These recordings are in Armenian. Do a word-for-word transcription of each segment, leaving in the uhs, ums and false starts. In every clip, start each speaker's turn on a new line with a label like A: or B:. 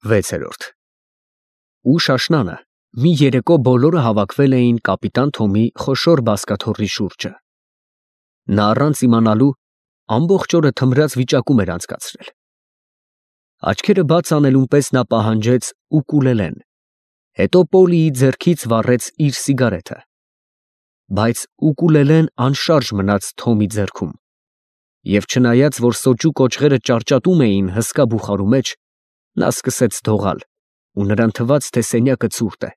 A: վեցերորդ Ուշ աշնանը մի երեկո բոլորը հավաքվել էին կապիտան Թոմի խոշոր բազկաթոռի շուրջը։ Նա առանց իմանալու ամբողջ օրը թմրած վիճակում էր անցկացրել։ Աչքերը բաց անելուն պես նա պահանջեց ուկուլելեն, հետո Պոլիի ձեռքից վառեց իր սիգարետը, բայց ուկուլելեն անշարժ մնաց Թոմի ձեռքում, և չնայած որ սոճու կոճղերը ճարճատում էին հսկա բուխարու մեջ, նա սկսեց դողալ, ու նրան թվաց, թե սենյակը ցուրտ է։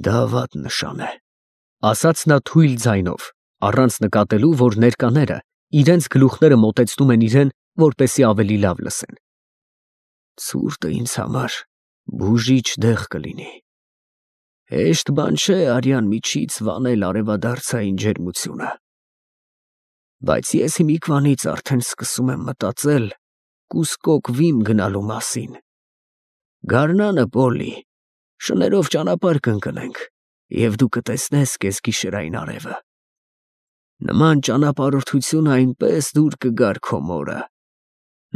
A: «Դա վատ նշան է», ասաց նա թույլ ձայնով, առանց նկատելու, որ ներկաները իրենց գլուխները մոտեցնում են իրեն, որպեսզի ավելի լավ լսեն։ «Ցուրտը ինձ համար բուժիչ դեղ կլինի։ Հեշտ բան չէ արյան միջից վանել արևադարձային ջերմությունը։ Բայց ես հիմիկվանից արդեն սկսում եմ մտածել կուսկոկ Վիմ գնալու մասին։ Գարնանը, Պոլի, շներով ճանապարհ կընկնենք, և դու կտեսնես կեսգիշերային արևը։ Նման ճանապարհորդություն այնպես դուր կգար քո մորը։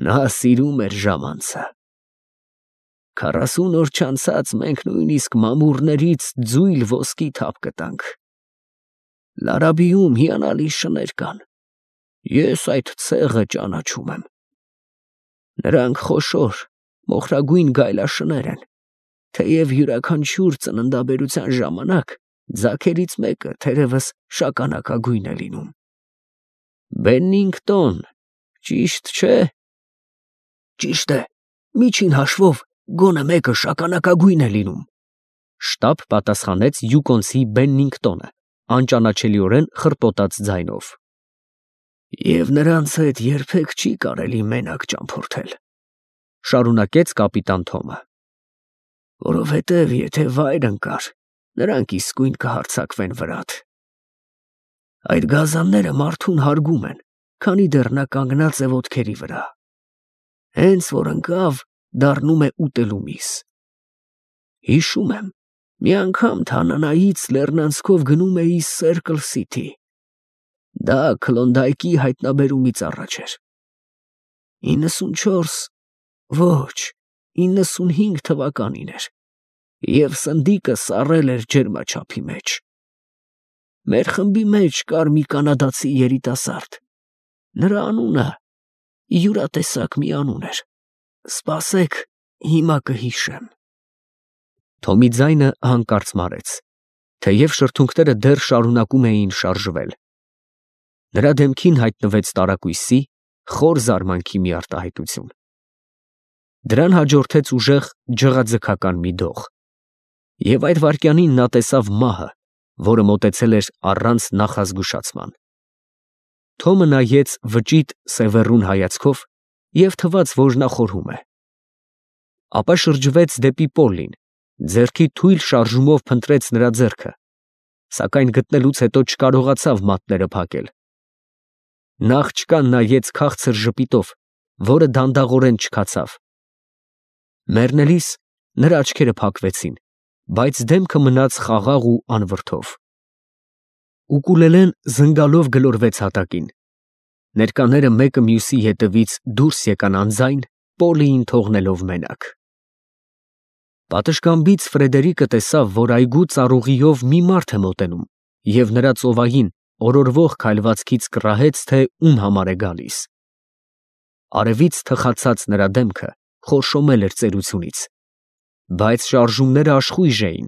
A: Նա սիրում էր ժամանցը։ Քառասուն օր չանցած մենք նույնիսկ մամուռներից ձույլ ոսկի թափ կտանք։ Լարաբիում հիանալի շներ կան։ Ես այդ ցեղը ճանաչում եմ։ Նրանք խոշոր, մոխրագույն գայլաշներ են, թեև յուրաքանչյուր ծննդաբերության ժամանակ ձագերից մեկը թերևս շագանակագույն է լինում։ Բեննինգտոն, ճիշտ չէ։ Ճիշտ է, միջին հաշվով գոնե մեկը շագանակագույն է լինում, շտապ պատասխանեց յուկոնցի Բեննինգտոնը, անճանաչելիորեն խռպոտած ձայնով։ Եվ նրանց հետ երբեք չի կարելի մենակ ճամփորդել, շարունակեց կապիտան Թոմը, որովհետև եթե վայր ընկար, նրանք իսկույն կհարձակվեն վրադ։ Այդ գազանները մարդուն հարգում են, քանի դեռ նա կանգնած է ոտքերի վրա։ Հենց որ ընկավ, դառնում է ուտելու միս։ Հիշում եմ, մի անգամ Թանանայից լեռնանցքով գնում էի Սերկլ Սիթի։ Դա Քլոնդայքի հայտնաբերումից առաջ էր։ իննսունչորս, ոչ, իննսունհինգ թվականին էր, և սնդիկը սառել էր ջերմաչափի մեջ։ Մեր խմբի մեջ կար մի կանադացի երիտասարդ։ Նրա անունը յուրատեսակ մի անուն էր։ Սպասեք, հիմա կհիշեմ։ Թոմի ձայնը հանկարծ մարեց, թեև շրթունքները դեռ շարունակում էին շարժվել։ Նրա դեմքին հայտնվեց տարակույսի, խոր զարմանքի մի արտահայտություն։ Դրան հաջորդեց ուժեղ ջղաձգական մի դող, և այդ վայրկյանին նա տեսավ մահը, որը մոտեցել էր առանց նախազգուշացման։ Թոմը նայեց վճիտ սևեռուն հայացքով և թվաց, որ նա խորհում է։ Ապա շրջվեց դեպի Պոլլին, ձեռքի թույլ շարժումով փնտրեց նրա ձեռքը, սակայն գտնելուց հետո չկարողացավ մատները փակել։ Նա աղջկան նայեց քաղցր ժպիտով, որը դանդաղորեն չքացավ։ Մեռնելիս նրա աչքերը փակվեցին, բայց դեմքը մնաց խաղաղ ու անվրդով։ Ուկուլելեն զնգալով գլորվեց հատակին։ Ներկաները մեկը մյուսի ետևից դուրս եկան անձայն, Պոլիին թողնելով մենակ։ Պատշգամբից Ֆրեդերիկը տեսավ, որ այգու ծառուղիով մի մարդ է մոտենում, և նրա ծովային, օրորվող քայլվածքից կռահեց, թե ում համար է գալիս։ Արևից թխացած նրա դեմքը խորշոմել էր ծերությունից, բայց շարժումները աշխույժ էին,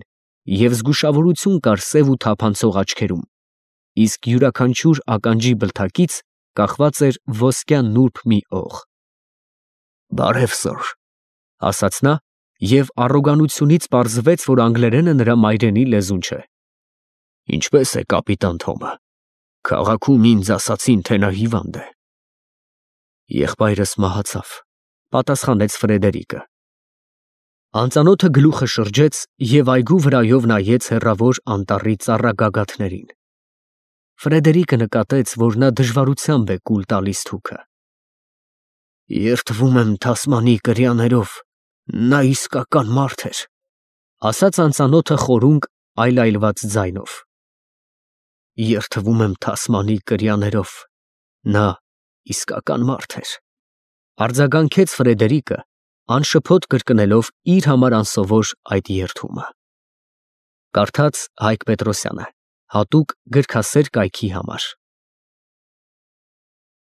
A: և զգուշավորություն կար սև ու թափանցող աչքերում, իսկ յուրաքանչյուր ականջի բլթակից կախված էր ոսկյա նուրբ մի օղ։ «Բարև, սըր», ասաց նա, և առոգանությունից պարզվեց, որ անգլերենը նրա մայրենի լեզուն չէ։ «Ինչպե՞ս է կապիտան Թոմը։ Քաղաքում ինձ ասացին, թե նա հիվանդ է»։ «Եղբայրս մահացավ», պատասխանեց Ֆրեդերիկը։ Անծանոթը գլուխը շրջեց և այգու վրայով նայեց հեռավոր անտառի ծառագագաթներին։ Ֆրեդերիկը նկատեց, որ նա դժվարությամբ է կուլ տալիս թուքը։ «Երդվում եմ թասմանի կրյաներով, նա իսկական մարդ էր», ասաց անծանոթը խորունկ այլայլված ձայնով։ «Երդվում եմ թասմանի կրյաներով, նա իսկական մարդ էր», արձագանքեց Ֆրեդերիկը, Անշփոթ կրկնելով իր համար անսովոր այդ երդումը։ Կարդաց Հայկ Պետրոսյանը, հատուկ գրքասեր կայքի համար։